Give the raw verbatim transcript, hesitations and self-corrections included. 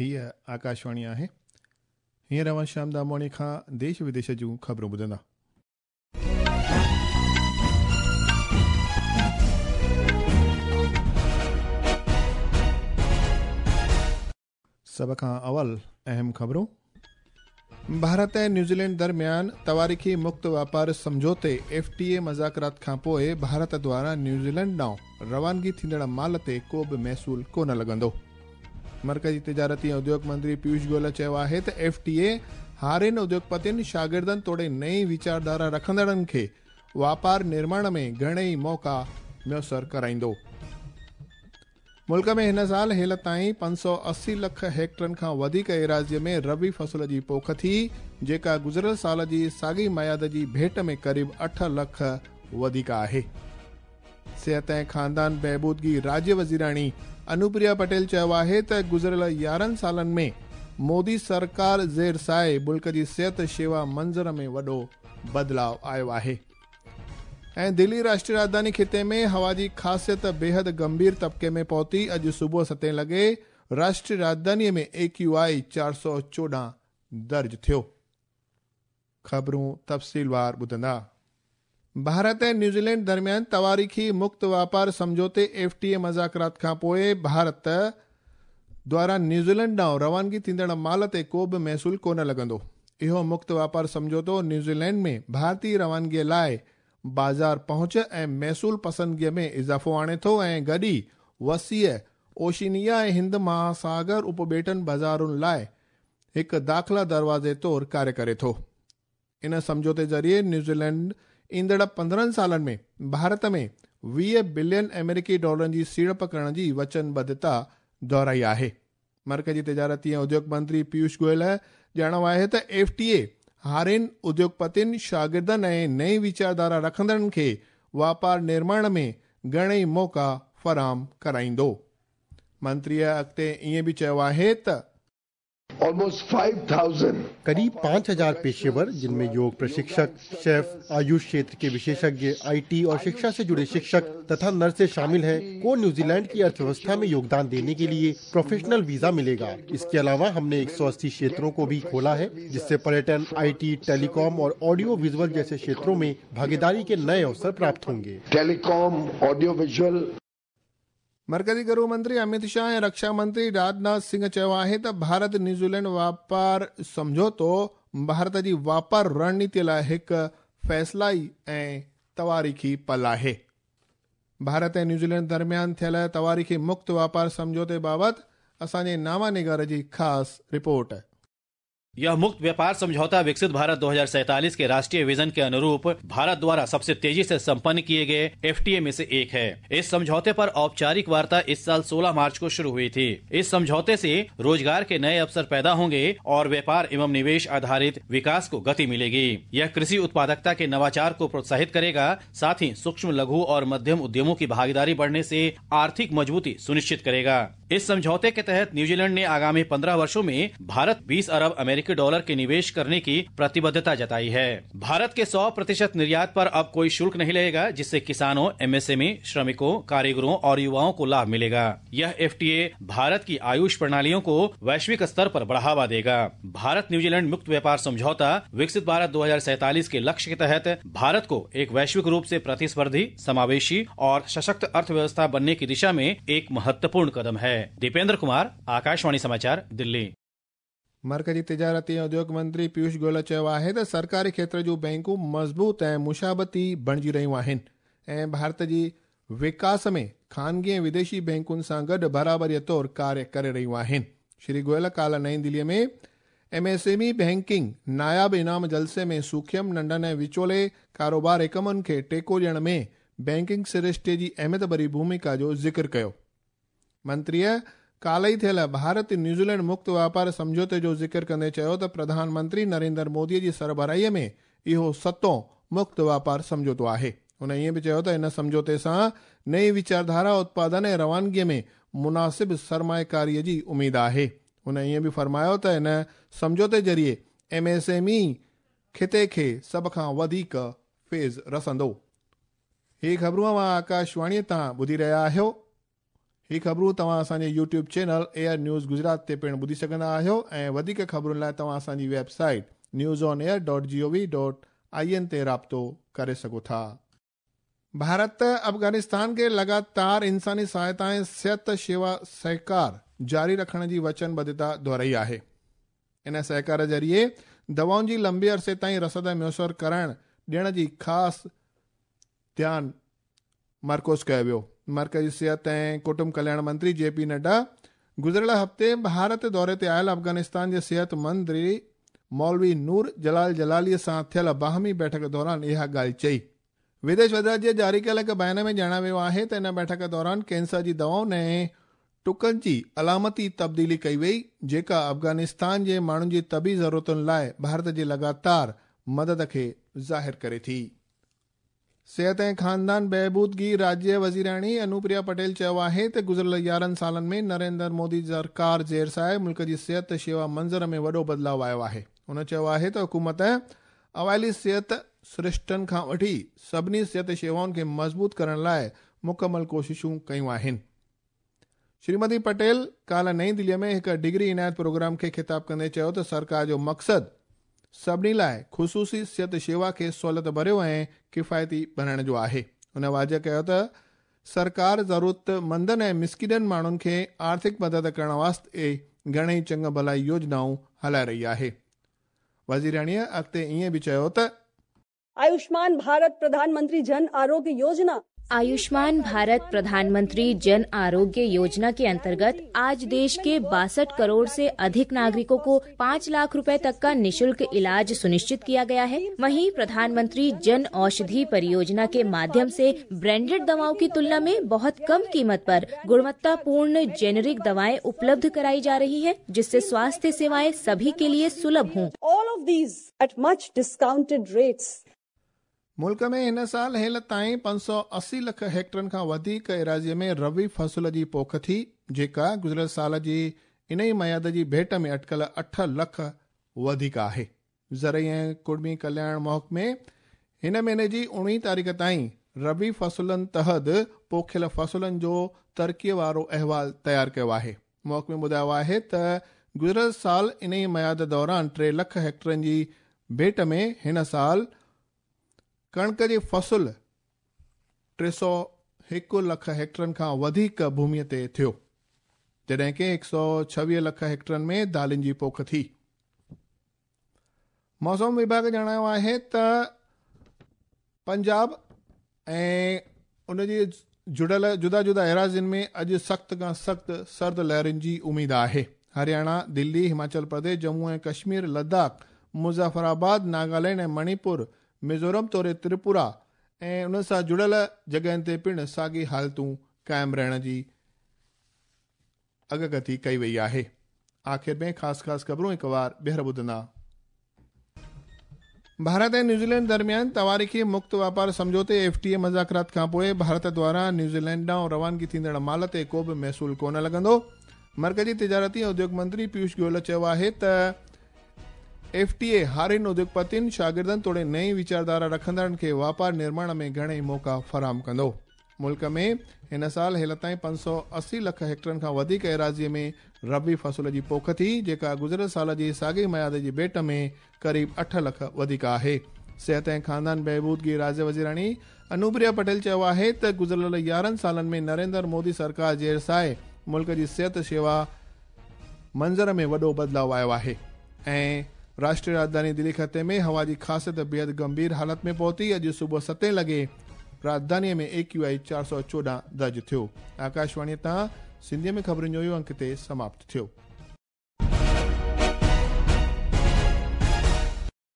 हीअ आकाशवाणी आहे। हींअर अव्हां श्याम दामवाणी खां देश विदेश जूं ख़बरूं ॿुधंदा। सभ खां अवल अहम ख़बरूं। भारत ऐं न्यूज़ीलैंड दरमियान तवारीख़ी मुक्त वापार सम्झौते एफ टी ए मज़ाकरात खां पोइ भारत द्वारा न्यूज़ीलैंड ॾांहुं रवानगी थींदड़ माल ते को बि महसूल कोन लॻंदो। मर्कज़ी तिजारती ऐं उद्योग मंत्री पीयूष गोयल चयो आहे त एफ टी ए हारियुनि, उद्योगपतियुनि, शागिर्दनि तोड़े नई वीचारधारा रखंदड़नि खे वापार निर्माण में घणेई मौक़ा मुयसर कराईंदो। मुल्क में हिन साल हेल ताईं पंज सौ अस्सी लख हेक्टरनि खां वधीक एराज़ीअ में रबी फ़सल जी पोख थी, जेका गुज़िरियल साल जी साॻी मयाद जी भेंट में क़रीब अठ लख वधीक आहे। सिहत ऐं ख़ानदान बहबूदगी राज्य वज़ीराणी अनुप्रिया पटेल चयो आहे त गुज़िरियल यारहं सालनि में मोदी सरकार ज़ेर साए मुल्क जी सिहत शेवा मंज़र में वॾो बदिलाव आयो आहे। ऐं दिल्ली राष्ट्रीय राजधानी ख़िते में हवा जी ख़ासियत बेहद गंभीर तबके में पहुती। अॼु सुबुह सतें लॻे राष्ट्रीय राजधानीअ में ए क्यू I चार सौ चोॾहं दर्ज थियो। ख़बरूं तफ़सीलवार ॿुधंदा। भारत ऐं न्यूज़ीलैंड दरमियान तवारीख़ी मुक्त वापार सम्झौते एफ टी ए मज़ाकरात खां पोइ भारत द्वारा न्यूज़ीलैंड ॾांहुं रवानगी थींदड़ माल ते को बि महसूल कोन लॻंदो। इहो मुक्त वापार सम्झौतो न्यूज़ीलैंड में भारतीय रवानगीअ लाइ बाज़ार पहुंच ऐं महसूल पसंदगीअ में इज़ाफ़ो आणे थो ऐं गॾु ई वसीअ ओशिनिया ऐं हिंद महासागर उपॿेटनि बाज़ारुनि लाइ हिकु दाख़िला दरवाज़े तौरु कार्य करे थो। इन सम्झौते ज़रिए न्यूज़ीलैंड ईंदड़ पंद्रहं सालनि में भारत में वीह बिलियन अमेरिकी डॉलरनि जी सीड़प करण जी वचनबद्धता दोहराई आहे। मर्कज़ी तिजारती ऐं उद्योग मंत्री पीयूष गोयल ॼाणो आहे त एफ टी ए हारियुनि, उद्योगपतियुनि, शागिर्दनि ऐं नई वीचारधारा रखंदड़नि खे वापार निर्माण में घणेई मौक़ा फराहम कराईंदो। मंत्रीअ अॻिते ईअं बि चयो आहे त ऑलमोस्ट फाइव थाउजेंड करीब पाँच हजार पेशेवर, जिनमें योग प्रशिक्षक, शेफ, आयुष क्षेत्र के विशेषज्ञ, I T और शिक्षा से जुड़े शिक्षक तथा नर्सें शामिल हैं, को न्यूजीलैंड की अर्थव्यवस्था में योगदान देने के लिए प्रोफेशनल वीजा मिलेगा। इसके अलावा हमने एक सौ अस्सी क्षेत्रों को भी खोला है, जिससे पर्यटन, I T, telecom और ऑडियो विजुअल जैसे क्षेत्रों में भागीदारी के नए अवसर प्राप्त होंगे। Telecom, audio visual. मर्कज़ी गृह मंत्री अमित शाह ऐं रक्षा मंत्री राजनाथ सिंह चयो आहे त भारत न्यूज़ीलैंड वापार सम्झौतो भारत जी वापार रणनीति लाइ हिकु फ़ैसिलाई ऐं तवारीख़ी पल आहे। भारत ऐं न्यूज़ीलैंड दरमियान थियल तवारीख़ी मुक्त वापार सम्झौते बाबति असांजे नामा निगार जी ख़ासि रिपोर्ट। यह मुक्त व्यापार समझौता विकसित भारत दो हजार सैतालीस के राष्ट्रीय विजन के अनुरूप भारत द्वारा सबसे तेजी से संपन्न किए गए एफ टी ए में से एक है। इस समझौते पर औपचारिक वार्ता इस साल सोलह मार्च को शुरू हुई थी। इस समझौते से रोजगार के नए अवसर पैदा होंगे और व्यापार एवं निवेश आधारित विकास को गति मिलेगी। यह कृषि उत्पादकता के नवाचार को प्रोत्साहित करेगा, साथ ही सूक्ष्म, लघु और मध्यम उद्यमों की भागीदारी बढ़ने से आर्थिक मजबूती सुनिश्चित करेगा। इस समझौते के तहत न्यूजीलैंड ने आगामी पंद्रह वर्षों में भारत बीस अरब अमेरिकी डॉलर के निवेश करने की प्रतिबद्धता जताई है। भारत के सौ प्रतिशत निर्यात पर अब कोई शुल्क नहीं लगेगा, जिससे किसानों, एम एस एम ई, श्रमिकों, कारीगरों और युवाओं को लाभ मिलेगा। यह एफ टी ए भारत की आयुष प्रणालियों को वैश्विक स्तर पर बढ़ावा देगा। भारत न्यूजीलैंड मुक्त व्यापार समझौता विकसित भारत दो हजार सैतालीस के लक्ष्य के तहत भारत को एक वैश्विक रूप से प्रतिस्पर्धी, समावेशी और सशक्त अर्थव्यवस्था बनने की दिशा में एक महत्वपूर्ण कदम है। दीपेंद्र कुमार, आकाशवाणी समाचार, दिल्ली। मर्कज़ी तिजारती ऐं उद्योग मंत्री पीयूष गोयल चयो आहे त सरकारी क्षेत्र जूं बैंकूं मज़बूत ऐं मुशाबती बणिजी रहियूं आहिनि ऐं भारत जी विकास में ख़ानगी ऐं विदेशी बैंकुनि सां गॾु बराबरीअ तौरु कार्य करे रहियूं आहिनि। श्री गोयल काल्ह नई दिल्लीअ में M S M E banking नायाब इनाम जलसे में सूखियम, नंढनि ऐं विचोले कारोबार इकमनि खे टेको ॾियण में बैंकिंग सृष्टे जी अहमियत भरी भूमिका जो ज़िक्र कयो। मंत्रीअ काल्ह ई थियल भारत न्यूज़ीलैंड मुक्त वापार सम्झौते जो ज़िक्र कंदे चयो त प्रधानमंत्री नरेंद्र मोदीअ जी सरबराहीअ में इहो सतों मुक्त वापार सम्झौतो आहे। हुन ईअं बि चयो त इन सम्झौते सां नई वीचारधारा, उत्पादन ऐं रवानगीअ में मुनासिब सरमायकारीअ जी उमेद आहे। हुन ईअं बि फरमायो त इन सम्झौते ज़रिए एम एस एम ई ख़िते खे सभ खां वधीक फैज़ रसंदो। हीअ ख़बरूं अव्हां आकाशवाणीअ तां ॿुधी रहिया आहियो। ही ख़बरूं तव्हां असांजे YouTube channel Air News Gujarat ते पिणु ॿुधी सघंदा आहियो ऐं वधीक ख़बरुनि लाइ तव्हां असांजी website news on air dot G O V dot I N ते राब्तो करे सघो था। भारत अफ़गानिस्तान खे लगातार इंसानी सहायता ऐं सिहत शेवा सहकार जारी रखण जी वचनबद्धता दोहराई आहे। इन सहकार ज़रिए दवाउनि जी लंबे अरसे ताईं रसद मुयसर कराइण ॾियण जी ख़ासि ध्यानु मरकूज़ कयो वियो। मरकज़ी सिहत ऐं कुटुंब कल्याण मंत्री जे पी नड्डा गुज़िरियल हफ़्ते भारत दौरे ते आयल अफ़गानिस्तान जे सिहत मंत्री मौलवी नूर जलाल जलालीअ सां थियल बाहमी बैठक दौरान इहा ॻाल्हि चई। विदेश वज़ारत जे जारी कयल हिकु बयान में ॼाणायो वियो आहे त इन बैठक दौरान कैंसर जी दवाउनि ऐं टुकनि जी अलामती तब्दीली कई वई, जेका अफ़गानिस्तान जे माण्हुनि जी तबी ज़रूरतुनि लाइ भारत जी लगातार मदद खे ज़ाहिर करे थी। सिहत ऐं ख़ानदान बहबूदगी राज्य वज़ीराणी अनुप्रिया पटेल चयो आहे त गुज़िरियल यारहं सालनि में नरेंद्र मोदी सरकार ज़ेर साए मुल्क जी सिहत शेवा मंज़र में वॾो बदिलाव आयो आहे। हुन चयो आहे त हुकूमत अवाइली सिहत सृष्टनि खां वठी सभिनी सिहत शेवाउनि खे मज़बूत करण लाइ मुकमल कोशिशूं कयूं आहिनि। श्रीमती पटेल काल्हि नई दिल्लीअ में हिकु डिग्री इनायत प्रोग्राम खे ख़िताब कंदे चयो त सरकार जो मक़सदु सभिनी लाइ ख़ुसूसी सिहत शेवा खे सहूलियत भरियो ऐं किफ़ायती बणाइण जो आहे। हुन वाज़ेह कयो त सरकार ज़रूरतमंदनि ऐं मिसकिननि माण्हुनि खे आर्थिक मदद करण वास्ते घणेई चङा भलाई योजनाऊं हलाए रही आहे। वज़ीराणीअ अॻिते ईअं बि चयो त आयुष्मान भारत प्रधानमंत्री जन आरोग्य योजना आयुष्मान भारत प्रधानमंत्री जन आरोग्य योजना के अंतर्गत आज देश के बासठ करोड़ से अधिक नागरिकों को पाँच लाख रुपए तक का निशुल्क इलाज सुनिश्चित किया गया है। वहीं प्रधानमंत्री जन औषधि परियोजना के माध्यम से ब्रांडेड दवाओं की तुलना में बहुत कम कीमत पर गुणवत्तापूर्ण जेनेरिक दवाएं उपलब्ध कराई जा रही है, जिससे स्वास्थ्य सेवाएं सभी के लिए सुलभ हों। All of these at much discounted rates. मुल्क में हिन साल हेल ताईं पंज सौ असी लख हेक्टरनि खां वधीक एराज़ीअ में रबी फ़सल जी पोख थी, जेका गुज़िरियल साल जी इन ई मयाद जी भेंट में अटकल अठ लख वधीक आहे। ज़रई ऐं कुड़मी कल्याण महकमे हिन महीने जी उणिवीह तारीख़ ताईं रबी फ़सलनि तहत पोखियल फ़सलनि जो तरक़ीअ वारो अहिवाल तयारु कयो आहे। महकमे ॿुधायो आहे त गुज़िरियल साल इन ई मयाद दौरान टे लख हेक्टरनि जी भेंट में हिन साल कणिक जी फ़सल टे सौ हिकु लख हेक्टरनि खां वधीक भूमीअ ते थियो, जॾहिं की हिकु सौ छवीह लख हेक्टरनि में दालनि जी पोख थी। मौसम विभाग ॼाणायो आहे त पंजाब ऐं उनजी जुड़ियल जुदा जुदा एराज़ियुनि में अॼु सख़्त खां सख़्तु सर्द लहरुनि जी उमेद आहे। हरियाणा, दिल्ली, हिमाचल प्रदेश, जम्मू ऐं कश्मीर, लद्दाख, मुज़फ़राबाद, नागालैंड ऐं मणिपुर, मिज़ोरम तोड़े त्रिपुरा ऐं उन सां जुड़ियल जॻहियुनि ते पिणु साॻी हालतूं क़ाइमु रहण जी अगकथी कई वई आहे। आख़िर में ख़ासि ख़ासि ख़बरूं हिकु वार ॿीहर ॿुधंदा। भारत ऐं न्यूज़ीलैंड दरमियान तवारीख़ी मुक्त वापार सम्झौते एफ टी ए मुज़ाकरात खां पोइ भारत द्वारा न्यूज़ीलैंड ॾांहुं रवानगी थींदड़ माल ते को बि महसूल कोन लॻंदो। मरकज़ी तिजारती ऐं उद्योग मंत्री पीयूष गोयल चयो आहे त एफ टी ए हारियुनि, उद्योगपतियुनि, शागिर्दनि तोड़े नई वीचारधारा रखंदड़नि खे वापार निर्माण में घणेई मौक़ा फराहम कंदो। मुल्क में हिन साल हेल ताईं पंज सौ असी लख हेक्टरनि खां वधीक एराज़ीअ में रबी फ़सल जी पोख थी, जेका गुज़िरियल साल जी साॻी मयाद जी भेंट में क़रीब अठ लख वधीक आहे। सिहत ऐं ख़ानदान बहबूदगी राज्य वज़ीराणी अनुप्रिया पटेल चयो आहे त गुज़िरियल यारहं सालनि में नरेंद्र मोदी सरकार ज़ेर साए मुल्क जी सिहत शेवा मंज़र में वॾो बदिलाव आयो आहे। ऐं राष्ट्रीय राजधानी दिल्ली ख़िते में हवा जी ख़ासियत बेहद गंभीर हालत में पहुती। अॼु सुबुह सतें लॻे राजधानीअ में ए क्यू I चारि सौ चोॾहं दर्ज थियो। आकाशवाणीअ तां सिंधीअ में ख़बरुनि जो इहो अंक हिते समाप्त थियो।